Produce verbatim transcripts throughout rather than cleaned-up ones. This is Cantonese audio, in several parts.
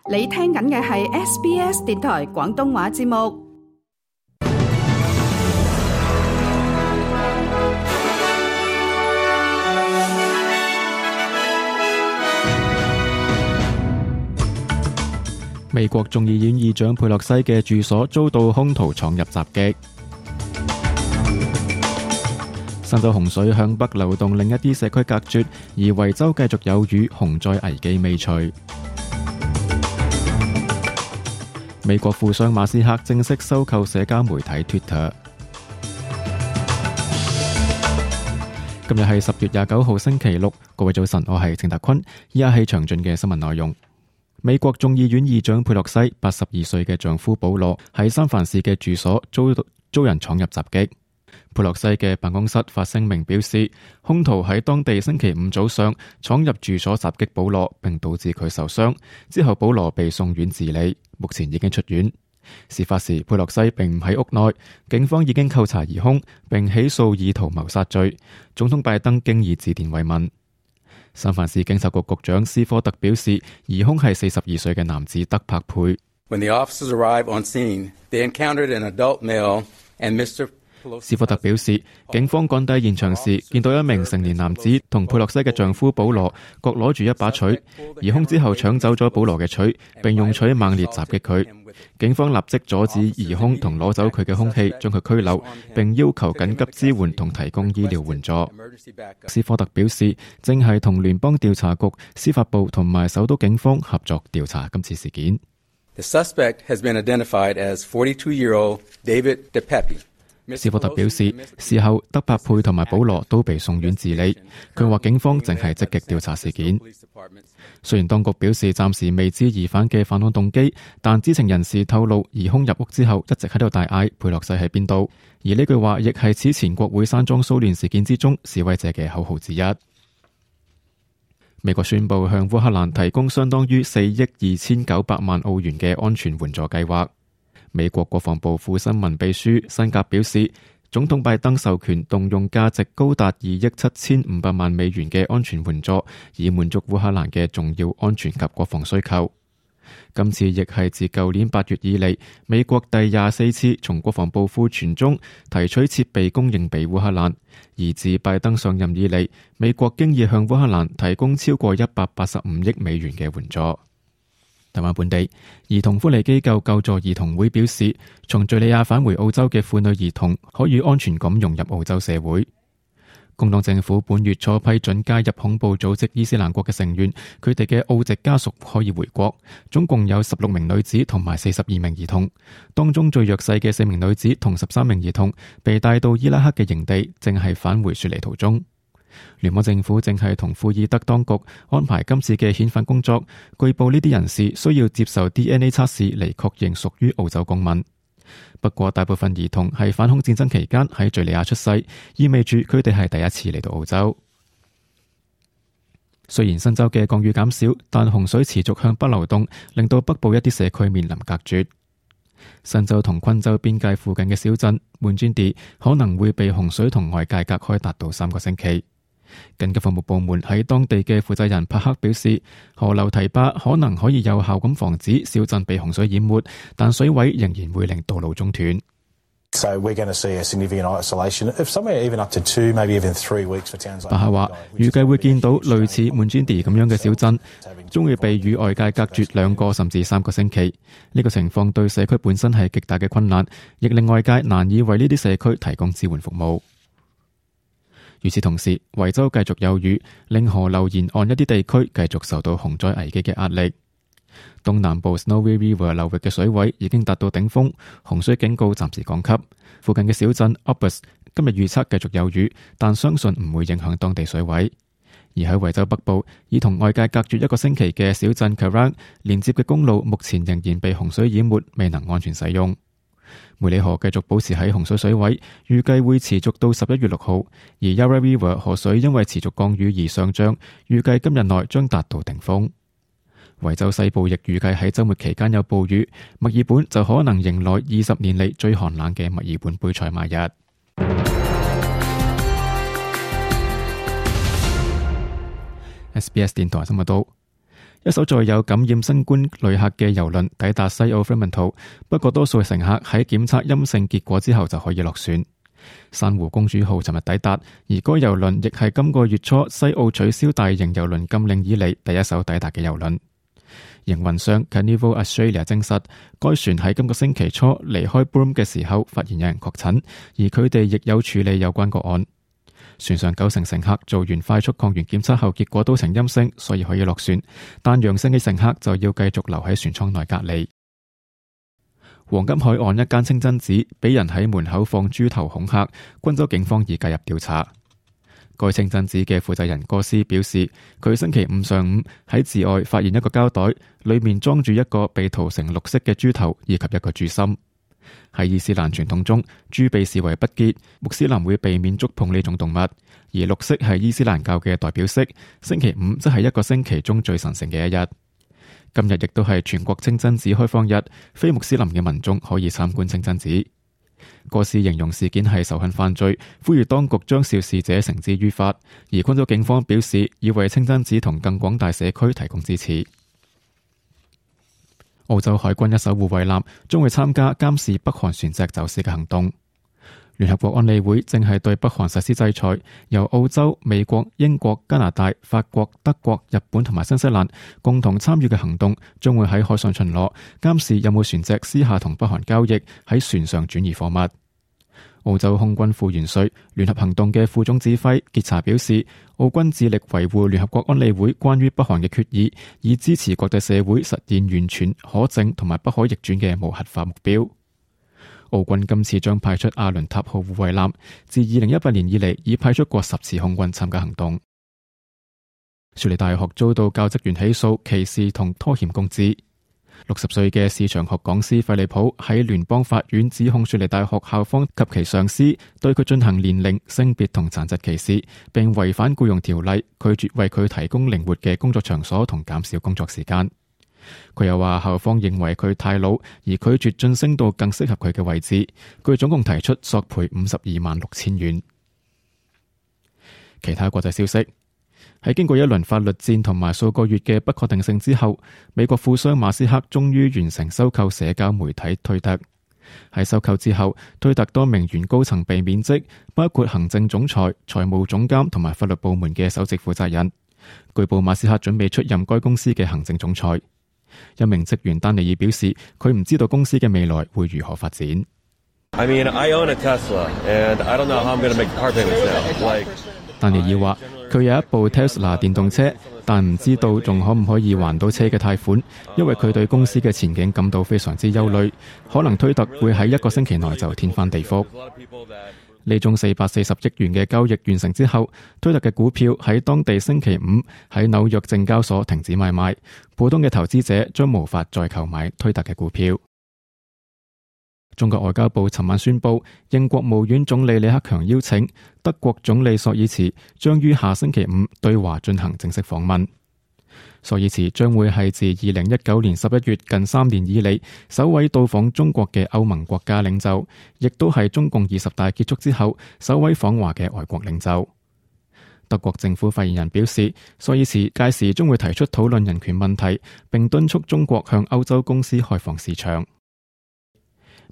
你聽緊嘅係 S B S 電台廣東話節目。美國眾議院議長佩洛西嘅住所遭到兇徒闖入襲擊。新州洪水向北流動，另一啲社區隔絕，而維州繼續有雨，洪災危機未除。美國富商馬斯克正式收購社交媒體 Twitter。今日係十月廿九號星期六，各位早晨，我係鄭達坤，以下係詳盡嘅新聞內容。美國眾議院議長佩洛西八十二歲嘅丈夫保羅喺三藩市嘅住所遭遭人闖入襲擊。佩洛西嘅辦公室發聲明表示，兇徒喺當地星期五早上闖入住所襲擊保羅，並導致佢受傷。之後保羅被送院治理，目前已經出院。事發時佩洛西並唔喺屋內，警方已經扣查疑兇，並起訴意圖謀殺罪。總統拜登經已致電慰問。三藩市警察局局長斯科特表示，疑兇係四十二歲嘅男子德柏佩。When the officers arrived on scene, they encountered an adult male and Mister斯科特表示，警方趕抵現場時，見到一名成年男子同佩洛西嘅丈夫保羅各攞住一把錘，疑兇之後搶走咗保羅嘅錘，並用錘猛烈襲擊佢。警方立即阻止疑兇同攞走佢嘅兇器，將佢拘留，並要求緊急支援同提供醫療援助。斯科特表示，正係同聯邦調查局、司法部同埋首都警方合作調查今次事件。The suspect has been identified as forty-two-year-old David DePepe。斯科特表示，事後德柏佩同埋保羅都被送院治理。佢話警方正係積極調查事件。雖然當局表示暫時未知疑犯嘅犯案動機，但知情人士透露，疑兇入屋之後一直喺度大嗌佩洛西喺邊度，而呢句話亦係此前國會山莊騷亂事件之中示威者嘅口號之一。美國宣布向烏克蘭提供相當於四億二千九百萬澳元嘅安全援助計劃。美國國防部副新聞秘書辛格表示，總統拜登授權動用價值高達二億七千五百萬美元嘅安全援助，以滿足烏克蘭嘅重要安全及國防需求。今次亦係自舊年八月以嚟，美國第廿四次從國防部庫存中提取設備供應俾烏克蘭，而自拜登上任以嚟，美國經已向烏克蘭提供超過一百八十五億美元嘅援助。台灣本地兒童福利機構救助兒童會表示，從敘利亞返回澳洲嘅婦女兒童可以安全咁融入澳洲社會。工黨政府本月初批准加入恐怖組織伊斯蘭國嘅成員，佢哋嘅澳籍家屬可以回國，總共有十六名女子同埋四十二名兒童，當中最弱勢嘅四名女子同十三名兒童被帶到伊拉克嘅營地，正係返回雪梨途中。聯邦政府正係同庫爾德當局安排今次嘅遣返工作，據報呢啲人士需要接受 D N A 測試嚟確認屬於澳洲公民。不過大部分兒童係反恐戰爭期間喺敘利亞出世，意味住佢哋係第一次嚟到澳洲。雖然新州嘅降雨減少，但洪水持續向北流動，令到北部一啲社區面臨隔絕。新州同昆州邊界附近嘅小鎮滿專地可能會被洪水同外界隔開達到三個星期。緊急服務部門喺當地嘅負責人帕克表示，河流堤壩可能可以有效咁防止小鎮被洪水淹沒，但水位仍然會令道路中斷。So we're going to see a significant isolation of somewhere even up to two, maybe even three weeks for towns like. 帕克話，預計會見到類似滿專地咁樣嘅小鎮，將會被與外界隔絕兩個甚至三個星期。呢個情況對社區本身係極大嘅困難，亦令外界難以為呢啲社區提供支援服務。與此同時，維州繼續有雨，令河流沿岸一啲地區繼續受到洪災危機嘅壓力。東南部 Snowy River 流域嘅水位已經達到頂峰，洪水警告暫時降級。附近嘅小鎮 Opus 今日預測繼續有雨，但相信唔會影響當地水位。而喺維州北部，已同外界隔絕一個星期嘅小鎮 Kerrang 連接嘅公路目前仍然被洪水淹沒，未能安全使用。梅里河繼續保持喺洪水水位，預計會持續到十一月六號。而 Yarra River 河水因為持續降雨而上漲，預計今日內將達到頂峰。維州西部亦預計喺週末期間有暴雨，墨爾本就可能迎來二十年嚟最寒冷嘅墨爾本杯賽馬日。S B S 電台新聞道。一艘載有感染新冠旅客嘅郵輪抵達西澳 Fremantle， 不過多數乘客喺檢測陰性結果之後就可以落船。珊瑚公主號尋日抵達，而該郵輪亦係今個月初西澳取消大型郵輪禁令以嚟第一艘抵達嘅郵輪。營運商 Carnival Australia 證實，該船喺今個星期初離開 Broome 嘅時候發現有人確診，而佢哋亦有處理有關個案。船上九成乘客做完快速抗原檢測後，結果都呈陰性，所以可以落船。但陽性嘅乘客就要繼續留喺船艙內隔離。黃金海岸一間清真寺俾人喺門口放豬頭恐嚇，昆州警方已介入調查。該清真寺嘅負責人哥斯表示，佢星期五上午喺寺外發現一個膠袋，裏面裝住一個被塗成綠色嘅豬頭以及一個豬心。喺伊斯蘭傳統中，豬被視為不潔，穆斯林會避免觸碰呢種動物。而綠色係伊斯蘭教嘅代表色，星期五則係一個星期中最神聖嘅一日。今日亦都係全國清真寺開放日，非穆斯林嘅民眾可以參觀清真寺。哥斯形容事件係仇恨犯罪，呼籲當局將肇事者繩之於法。而昆州警方表示，要為清真寺同更廣大社區提供支持。澳洲海軍一艘護衛艦將會參加監視北韓船隻走私嘅行動。聯合國安理會正係對北韓實施制裁，由澳洲、美國、英國、加拿大、法國、德國、日本同埋新西蘭共同參與嘅行動，將會喺海上巡邏，監視有冇船隻私下同北韓交易，喺船上轉移貨物。澳洲空軍副元帥、聯合行動嘅副總指揮傑查表示，澳軍致力維護聯合國安理會關於北韓嘅決議，以支持國際社會實現完全、可證同埋不可逆轉嘅無核化目標。澳軍今次將派出阿倫塔號護衛艦，自二零一八年以嚟已派出過十次空軍參加行動。雪梨大學遭到教職員起訴歧視同拖欠工資。六十歲嘅市場學講師費利普喺聯邦法院指控雪梨大學校方及其上司對佢進行年齡、性別同殘疾歧視，並違反僱傭條例，拒絕為佢提供靈活嘅工作場所同減少工作時間。佢又話校方認為佢太老，而拒絕晉升到更適合佢嘅位置。佢總共提出索賠五十二萬六千元。其他國際消息。喺經過一輪法律戰同埋數個月嘅不確定性之後，美國富商馬斯克終於完成收購社交媒體推特。喺收購之後，推特多名原高層被免職，包括行政總裁、財務總監同埋法律部門嘅首席負責人。據報馬斯克準備出任該公司嘅行政總裁。一名職員丹尼爾表示，佢唔知道公司嘅未來會如何發展。I mean, I own a Tesla, and I don't know how I'm going to make car payments now. Like, 丹尼爾話，佢有一部 Tesla 電動車，但唔知道仲可唔可以還到車嘅貸款，因為佢對公司嘅前景感到非常之憂慮，可能推特會喺一個星期內就天翻地覆。呢宗四百四十億元嘅交易完成之後，推特嘅股票喺當地星期五喺紐約證交所停止買賣，普通嘅投資者將無法再購買推特嘅股票。中國外交部尋晚宣布，應國務院總理李克強邀請，德國總理朔爾茨將於下星期五對華進行正式訪問。朔爾茨將會係自二零一九年十一月近三年以嚟首位到訪中國嘅歐盟國家領袖，亦都係中共二十大結束之後首位訪華嘅外國領袖。德國政府發言人表示，朔爾茨屆時將會提出討論人權問題，並敦促中國向歐洲公司開放市場。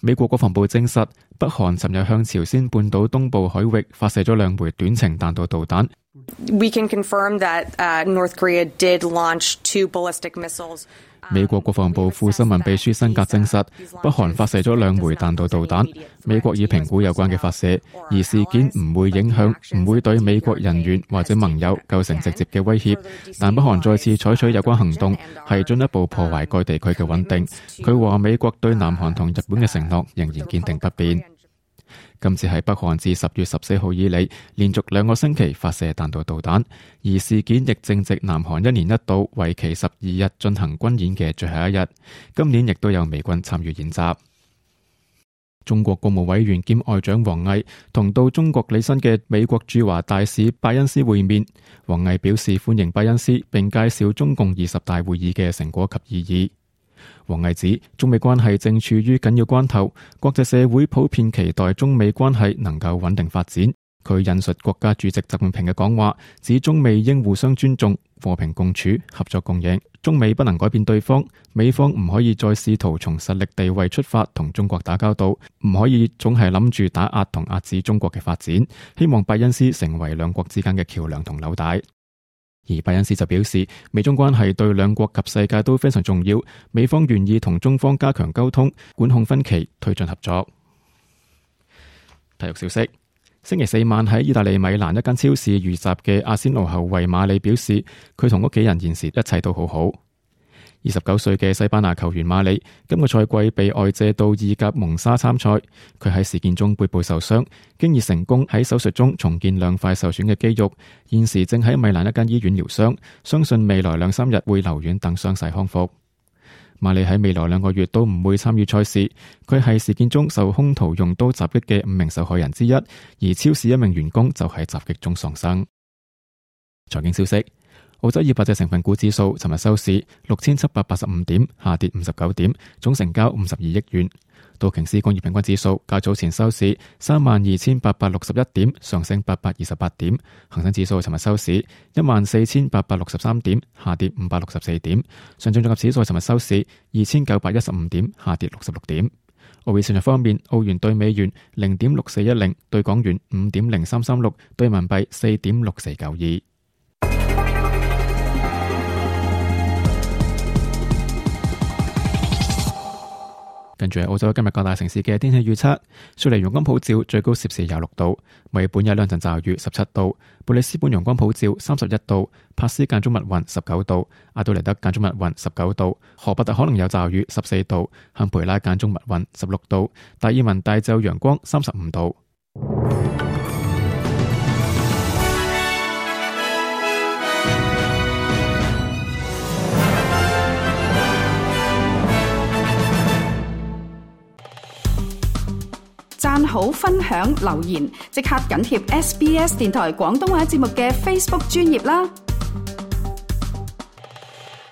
美國國防部證實，北韓尋日向朝鮮半島東部海域發射咗兩枚短程彈道導彈。We can confirm that, uh, North Korea did launch two ballistic missiles. 美國國防部副新聞秘書辛格證實，北韓發射咗兩枚彈道導彈。美國已評估有關嘅發射，而事件唔會影響，唔會對美國人員或者盟友構成直接嘅威脅。但北韓再次採取有關行動，係進一步破壞該地區嘅穩定。佢話美國對南韓同日本嘅承諾仍然堅定不變。今次係北韓自十月十四號以嚟連續兩個星期發射彈道導彈，而事件亦正值南韓一年一度為期十二日進行軍演嘅最後一日。今年亦都有美軍參與演習。中國國務委員兼外長王毅同到中國履新嘅美國駐華大使拜恩斯會面，王毅表示歡迎拜恩斯，並介紹中共二十大會議嘅成果及意義。王毅指，中美關係正處於緊要關頭，國際社會普遍期待中美關係能夠穩定發展，佢引述國家主席習近平嘅講話，指中美應互相尊重、和平共處、合作共贏。中美不能改變對方，美方唔可以再試圖從實力地位出發同中國打交道，唔可以總係諗住打壓同壓制中國嘅發展。希望拜恩斯成為兩國之間嘅橋樑同紐帶。而拜恩斯就表示，美中關係對兩國及世界都非常重要，美方願意同中方加強溝通，管控分歧，推進合作。體育消息。星期四晚喺意大利米蘭一間超市遇襲嘅阿仙奴後衛馬里表示，佢同屋企人現時一切都好好。二十九歲嘅西班牙球員馬里今個賽季被外借到意甲蒙沙參賽，佢喺事件中背部受傷，經已成功喺手術中重建兩塊受損嘅肌肉，現時正喺米蘭一間醫院療傷，相信未來兩三日會留院等傷勢康復。馬里喺未來兩個月都唔會參與賽事，佢係事件中受兇徒用刀襲擊嘅五名受害人之一，而超市一名員工就喺襲擊中喪生。財經消息：澳洲二百隻成分股指數尋日收市六千七百八十五點，下跌五十九點，總成交五十二億元。道瓊斯工業平均指數較早前收市三萬二千八百六十一點，上升八百二十八點。恒生指數尋日收市一萬四千八百六十三點，下跌五百六十四點。上證綜合指數尋日收市二千九百一十五點，下跌六十六點。外匯市場方面，澳元兌美元零點六四一零，兌港元五點零三三六，兌人民幣四點六四九二。跟住係澳洲今日各大城市嘅天氣預測：雪梨陽光普照，最高攝氏廿六度；墨爾本有兩陣驟雨，十七度；布里斯本陽光普照，三十一度；珀斯間中密雲，十九度；阿杜萊德間中密雲，十九度；荷伯特可能有驟雨，十四度；坎培拉間中密雲，十六度；達爾文大晝陽光，三十五度。讚好、分享、留言，即刻緊貼 S B S 電台廣東話節目嘅 Facebook 專頁啦！